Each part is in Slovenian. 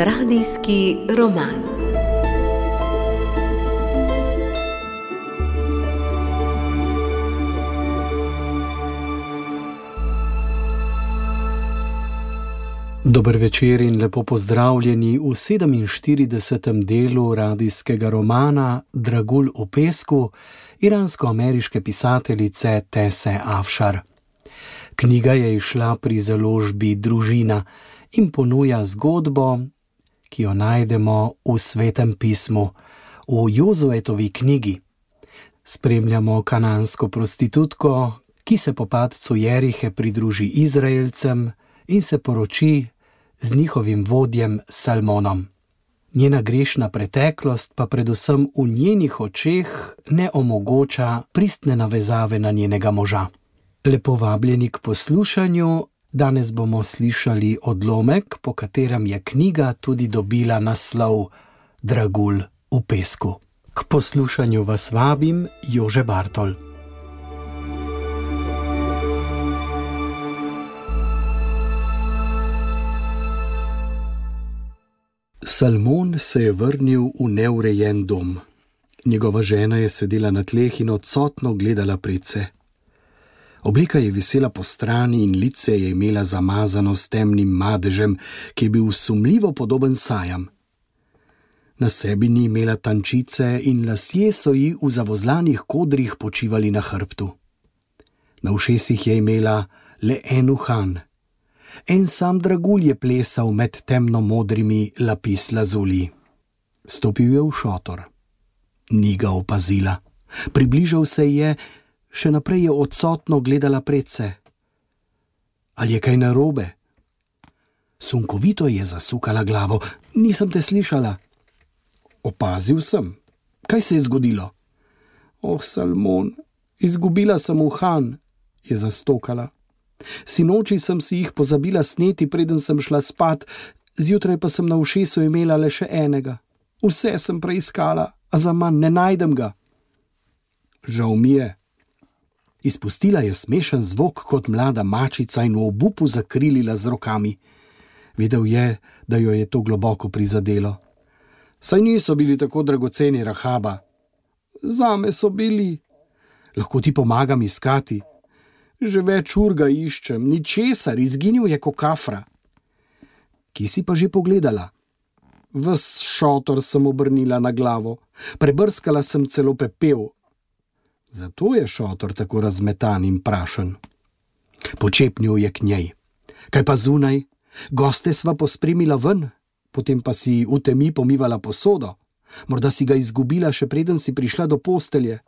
Radijski roman. Dober večer in lepo pozdravljeni v 47. delu radijskega romana Dragulj v pesku iransko-ameriške pisateljice Tese Afšar. Knjiga je izšla pri založbi Družina in ponuja zgodbo, ki jo najdemo v Svetem pismu, v Jozuetovi knjigi. Spremljamo kanansko prostitutko, ki se po padcu Jerihe pridruži Izraelcem in se poroči z njihovim vodjem Salmonom. Njena grešna preteklost pa predvsem v njenih očeh ne omogoča pristne navezave na njenega moža. Lepo vabljeni k poslušanju, danes bomo slišali odlomek, po katerem je knjiga tudi dobila naslov Dragulj v pesku. K poslušanju vas vabim Jože Bartol. Salmon se je vrnil v neurejen dom. Njegova žena je sedela na tleh in odsotno gledala predse. Obleka je visela po strani in lice je imela zamazano s temnim madežem, ki je bil sumljivo podoben sajam. Na sebi ni imela tančice in lasje so ji v zavozlanih kodrih počivali na hrbtu. Na ušesih je imela le en uhan. En sam dragulj je plesal med temno-modrimi lapis lazuli. Stopil je v šotor. Ni ga opazila. Približal se je, še naprej je odsotno gledala predse. Ali je kaj narobe? Sunkovito je zasukala glavo. Nisem te slišala. Opazil sem. Kaj se je zgodilo? Oh, Salmon, izgubila sem uhan, je zastokala. Sinoči sem si jih pozabila sneti, preden sem šla spat, zjutraj pa sem na ušesu imela le še enega. Vse sem preiskala, a zaman ne najdem ga. Žal mi je. Izpustila je smešen zvok kot mlada mačica in v obupu zakrilila z rokami. Vedel je, da jo je to globoko prizadelo. Saj niso bili tako dragoceni, Rahaba. Zame so bili. Lahko ti pomagam iskati. Že več ur ga iščem, ničesar, izginil je ko kafra. Kje si pa že pogledala? Ves šotor sem obrnila na glavo, prebrskala sem celo pepel. Zato je šotor tako razmetan in prašen. Počepnil je k njej. Kaj pa zunaj? Goste sva pospremila ven, potem pa si v temi pomivala posodo. Morda si ga izgubila, še preden si prišla do postelje.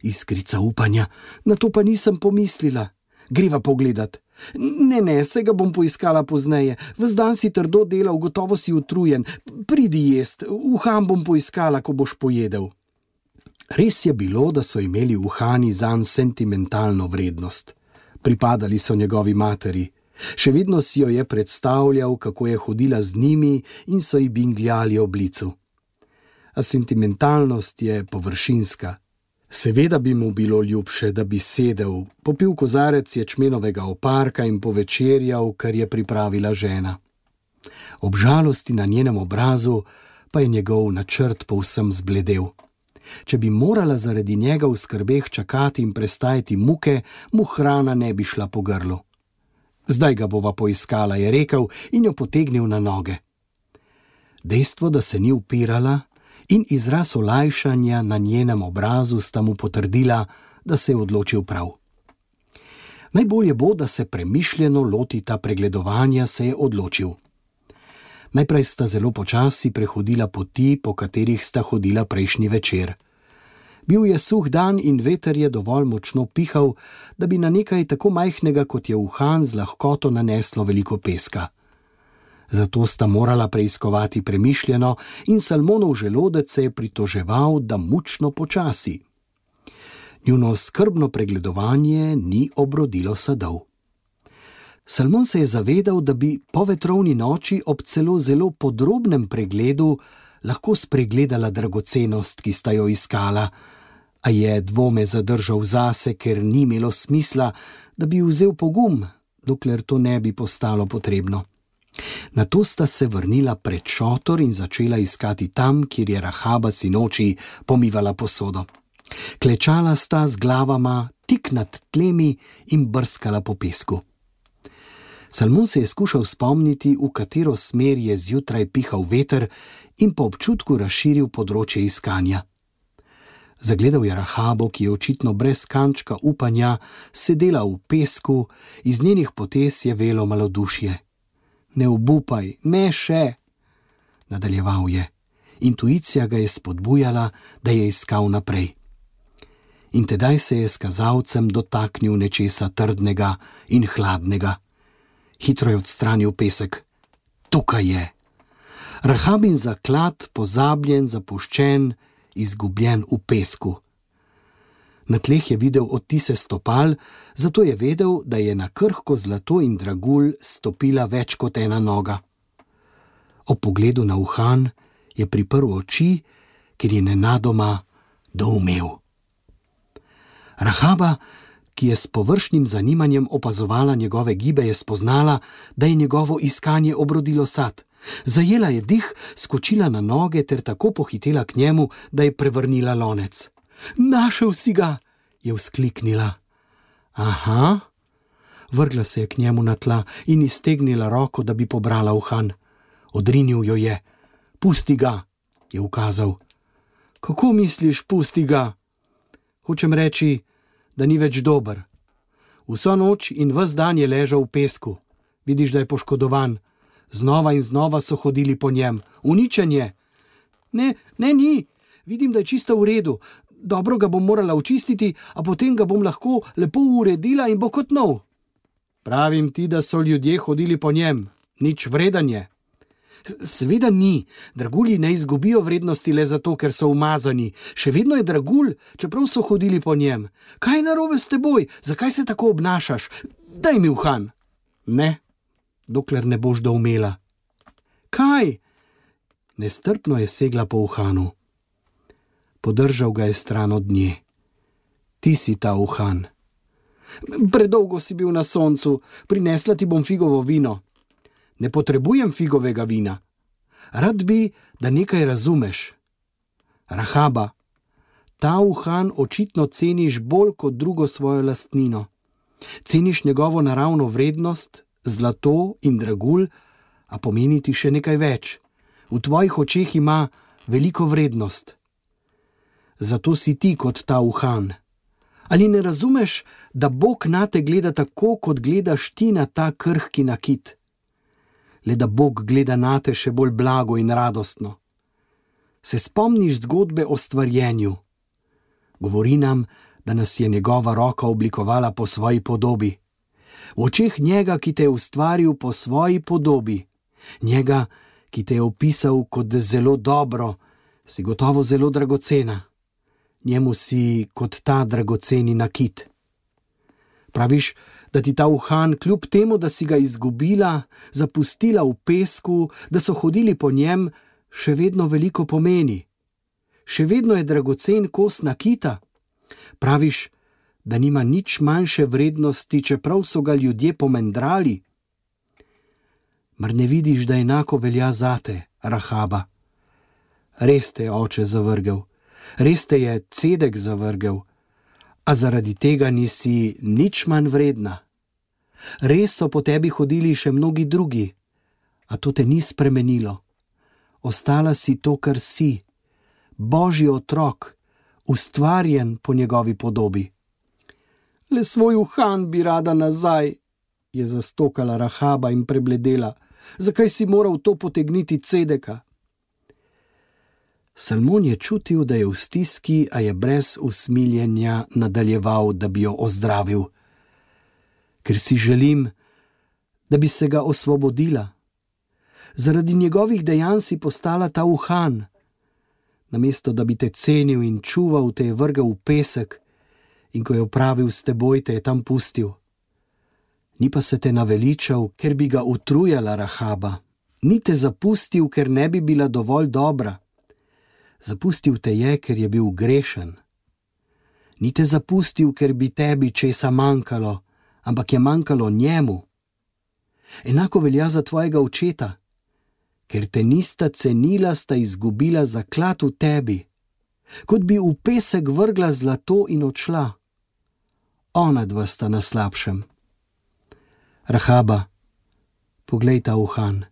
Iskrica upanja, na to pa nisem pomislila. Greva pogledat. Ne, se ga bom poiskala pozneje. Ves dan si trdo delal, gotovo si utrujen. Pridi jest, uhan bom poiskala, ko boš pojedel. Res je bilo, da so imeli uhani zanj sentimentalno vrednost. Pripadali so njegovi materi. Še vedno si jo je predstavljal, kako je hodila z njimi in so ji bingljali ob licu. A sentimentalnost je površinska. Seveda bi mu bilo ljubše, da bi sedel, popil kozarec ječmenovega oparka in povečerjal, kar je pripravila žena. Ob žalosti na njenem obrazu pa je njegov načrt povsem zbledel. Če bi morala zaradi njega v skrbeh čakati in prestajati muke, mu hrana ne bi šla po grlu. Zdaj ga bova poiskala, je rekel in jo potegnil na noge. Dejstvo, da se ni upirala, in izraz olajšanja na njenem obrazu sta mu potrdila, da se je odločil prav. Najbolje bo, da se premišljeno lotita pregledovanja, se je odločil. Najprej sta zelo počasi prehodila poti, po katerih sta hodila prejšnji večer. Bil je suh dan in veter je dovolj močno pihal, da bi na nekaj tako majhnega, kot je uhan, z lahkoto naneslo veliko peska. Zato sta morala preiskovati premišljeno in Salmonov želodec se je pritoževal, da mučno počasi. Njuno skrbno pregledovanje ni obrodilo sadov. Salmon se je zavedal, da bi po vetrovni noči ob zelo podrobnem pregledu lahko spregledala dragocenost, ki sta jo iskala, a je dvome zadržal zase, ker ni imelo smisla, da bi vzel pogum, dokler to ne bi postalo potrebno. Nato sta se vrnila pred šotor in začela iskati tam, kjer je Rahaba sinoči pomivala posodo. Klečala sta z glavama tik nad tlemi in brskala po pesku. Salmon se je skušal spomniti, v katero smer je zjutraj pihal veter, in po občutku razširil področje iskanja. Zagledal je Rahabo, ki je očitno brez kančka upanja sedela v pesku, iz njenih potez je velo malodušje. Ne obupaj, ne še, nadaljeval je. Intuicija ga je spodbujala, da je iskal naprej. In tedaj se je s kazalcem dotaknil nečesa trdnega in hladnega. Hitro je odstranil pesek. Tukaj je. Rahabin zaklad, pozabljen, zapuščen, izgubljen v pesku. Na tleh je videl odtise stopal, zato je vedel, da je na krhko zlato in dragulj stopila več kot ena noga. Ob pogledu na uhan je priprl oči, ker je nenadoma doumel. Rahaba, ki je s površnim zanimanjem opazovala njegove gibe, je spoznala, da je njegovo iskanje obrodilo sad. Zajela je dih, skočila na noge ter tako pohitela k njemu, da je prevrnila lonec. Našel si ga, je vzkliknila. Aha, vrgla se je k njemu na tla in iztegnila roko, da bi pobrala uhan. Odrinil jo je. Pusti ga, je ukazal. Kako misliš, pusti ga? Hočem reči, da ni več dober. Vso noč in ves dan je ležal v pesku. Vidiš, da je poškodovan. Znova in znova so hodili po njem. Uničen je. Ne, ni. Vidim, da je čisto v redu. Dobro ga bom morala očistiti, a potem ga bom lahko lepo uredila in bo kot nov. Pravim ti, da so ljudje hodili po njem. Nič vreden je. Seveda ni. Dragulji ne izgubijo vrednosti le zato, ker so umazani. Še vedno je dragulj, čeprav so hodili po njem. Kaj je narobe s teboj? Zakaj se tako obnašaš? Daj mi uhan. Ne, dokler ne boš doumela. Kaj? Nestrpno je segla po uhanu. Podržal ga je stran od nje. Ti si ta uhan. Predolgo si bil na soncu. Prinesla ti bom figovo vino. Ne potrebujem figovega vina. Rad bi, da nekaj razumeš. Rahaba, ta uhan očitno ceniš bolj kot drugo svojo lastnino. Ceniš njegovo naravno vrednost, zlato in dragulj, a pomeni ti še nekaj več. V tvojih očeh ima veliko vrednost. Zato si ti kot ta uhan. Ali ne razumeš, da Bog nate gleda tako, kot gledaš ti na ta krhki nakit? Le da Bog gleda nate še bolj blago in radostno. Se spomniš zgodbe o stvarjenju? Govori nam, da nas je njegova roka oblikovala po svoji podobi. V očeh njega, ki te je ustvaril po svoji podobi, njega, ki te je opisal kot zelo dobro, si gotovo zelo dragocena. Njemu si kot ta dragoceni nakit. Praviš, da ti ta uhan, kljub temu, da si ga izgubila, zapustila v pesku, da so hodili po njem, še vedno veliko pomeni. Še vedno je dragocen kos nakita. Praviš, da nima nič manjše vrednosti, čeprav so ga ljudje pomendrali. Mar ne vidiš, da enako velja zate, Rahaba? Res te je oče zavrgel, res te je Cedek zavrgel, a zaradi tega nisi nič manj vredna. Res so po tebi hodili še mnogi drugi, a to te ni spremenilo. Ostala si to, kar si, Božji otrok, ustvarjen po njegovi podobi. Le svoj uhan bi rada nazaj, je zastokala Rahaba in prebledela. Zakaj si moral to potegniti Cedeka? Salmon je čutil, da je v stiski, a je brez usmiljenja nadaljeval, da bi jo ozdravil. Ker si želim, da bi se ga osvobodila. Zaradi njegovih dejanj si postala ta uhan. Namesto, da bi te cenil in čuval, te je vrgel v pesek in ko je opravil s teboj, te je tam pustil. Ni pa se te naveličal, ker bi ga utrujala Rahaba. Ni te zapustil, ker ne bi bila dovolj dobra. Zapustil te je, ker je bil grešen. Ni te zapustil, ker bi tebi česa manjkalo, ampak je manjkalo njemu. Enako velja za tvojega očeta. Ker te nista cenila, sta izgubila zaklad v tebi. Kot bi v pesek vrgla zlato in odšla. Ona dva sta na slabšem. Rahaba, poglej ta uhan.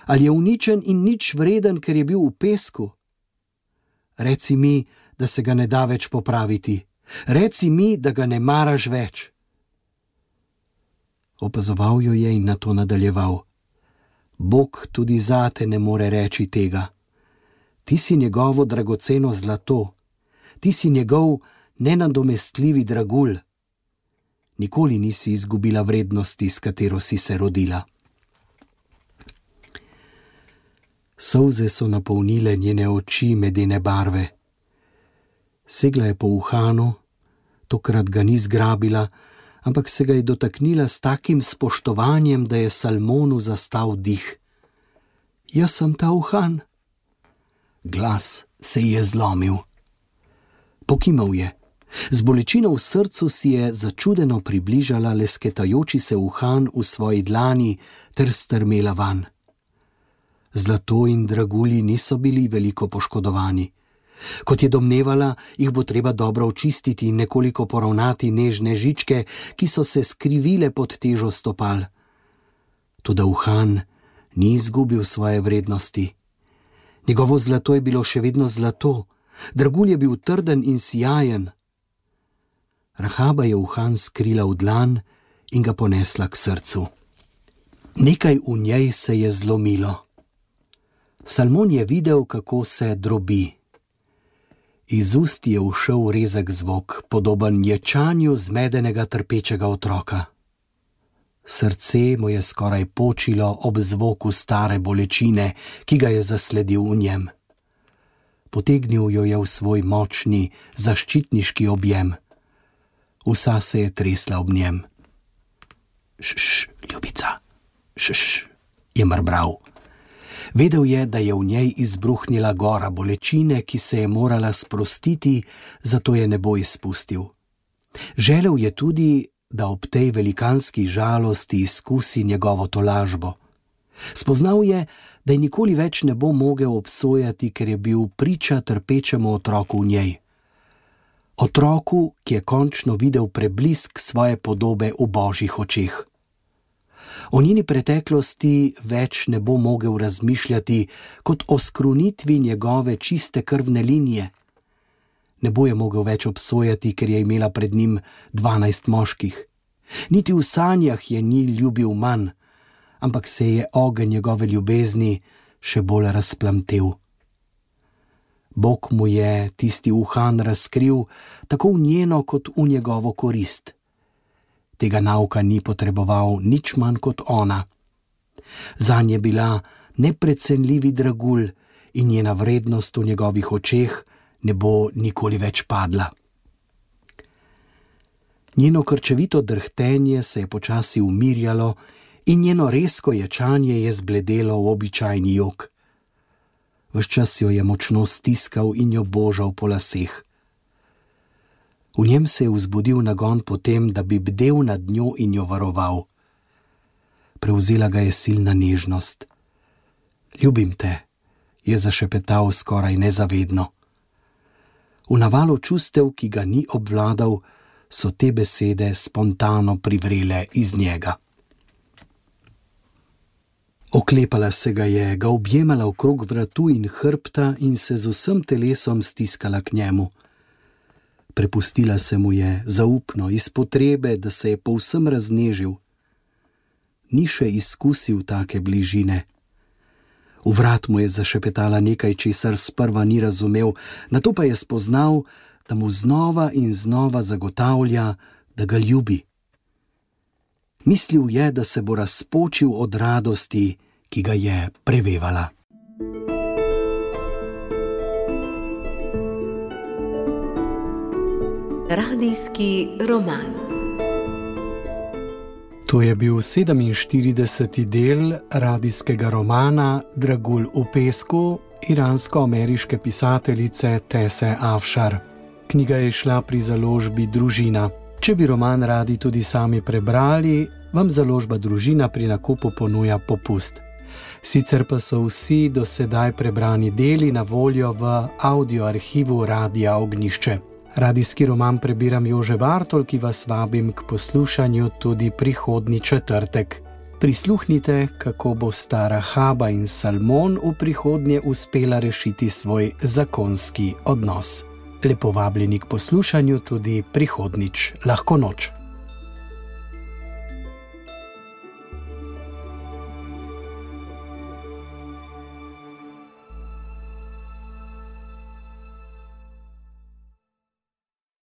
Ali je uničen in nič vreden, ker je bil v pesku? Reci mi, da se ga ne da več popraviti. Reci mi, da ga ne maraš več. Opazoval jo je in nato nadaljeval. Bog tudi zate ne more reči tega. Ti si njegovo dragoceno zlato. Ti si njegov nenadomestljivi dragulj. Nikoli nisi izgubila vrednosti, s katero si se rodila. Solze so napolnile njene oči medene barve. Segla je po uhanu, tokrat ga ni zgrabila, ampak se ga je dotaknila s takim spoštovanjem, da je Salmonu zastal dih. Jaz sem ta uhan. Glas se ji je zlomil. Pokimal je. Z bolečino v srcu si je začudeno približala lesketajoči se uhan v svoji dlani ter strmela van. Zlato in dragulji niso bili veliko poškodovani. Kot je domnevala, jih bo treba dobro očistiti in nekoliko poravnati nežne žičke, ki so se skrivile pod težo stopal. Toda uhan ni izgubil svoje vrednosti. Njegovo zlato je bilo še vedno zlato, dragulj je bil trden in sijajen. Rahaba je uhan skrila v dlan in ga ponesla k srcu. Nekaj v njej se je zlomilo. Salmon je videl, kako se drobi. Iz ust je ušel rezek zvok, podoben ječanju zmedenega trpečega otroka. Srce mu je skoraj počilo ob zvoku stare bolečine, ki ga je zasledil v njem. Potegnil jo je v svoj močni, zaščitniški objem. Vsa se je tresla ob njem. Šš, ljubica, šš, je mrbral. Vedel je, da je v njej izbruhnila gora bolečine, ki se je morala sprostiti, zato je ne bo izpustil. Želel je tudi, da ob tej velikanski žalosti izkusi njegovo tolažbo. Spoznal je, da je nikoli več ne bo mogel obsojati, ker je bil priča trpečemu otroku v njej. Otroku, ki je končno videl preblisk svoje podobe v božjih očeh. O njeni preteklosti več ne bo mogel razmišljati kot o skrunitvi njegove čiste krvne linije. Ne bo je mogel več obsojati, ker je imela pred njim 12 moških. Niti v sanjah je ni ljubil manj, ampak se je ogenj njegove ljubezni še bolj razplamtel. Bog mu je tisti uhan razkril tako v njeno kot v njegovo korist. Tega nauka ni potreboval nič manj kot ona. Zanj je bila neprecenljivi dragulj in njena vrednost v njegovih očeh ne bo nikoli več padla. Njeno krčevito drhtenje se je počasi umirjalo in njeno rezko ječanje je zbledelo v običajni jok. Ves čas jo je močno stiskal in jo božal po laseh. V njem se je vzbudil nagon po tem, da bi bdel nad njo in jo varoval. Prevzela ga je silna nežnost. Ljubim te, je zašepetal skoraj nezavedno. V navalu čustev, ki ga ni obvladal, so te besede spontano privrele iz njega. Oklepala se ga je, ga objemala okrog vratu in hrbta in se z vsem telesom stiskala k njemu. Prepustila se mu je zaupno, iz potrebe, da se je povsem raznežil. Ni še izkusil take bližine. V vrat mu je zašepetala nekaj, česar sprva ni razumel, nato pa je spoznal, da mu znova in znova zagotavlja, da ga ljubi. Mislil je, da se bo razpočil od radosti, ki ga je prevevala. Radijski roman. To je bil 47. del radijskega romana Dragulj v pesku iransko-ameriške pisateljice Tese Afšar. Knjiga je šla pri založbi Družina. Če bi roman radi tudi sami prebrali, vam založba Družina pri nakupu ponuja popust. Sicer pa so vsi do sedaj prebrani deli na voljo v audio arhivu Radia Ognjišče. Radijski roman prebiram Jože Bartol, ki vas vabim k poslušanju tudi prihodnji četrtek. Prisluhnite, kako bo stara Haba in Salmon v prihodnje uspela rešiti svoj zakonski odnos. Lepo vabljeni k poslušanju tudi prihodnjič. Lahko noč.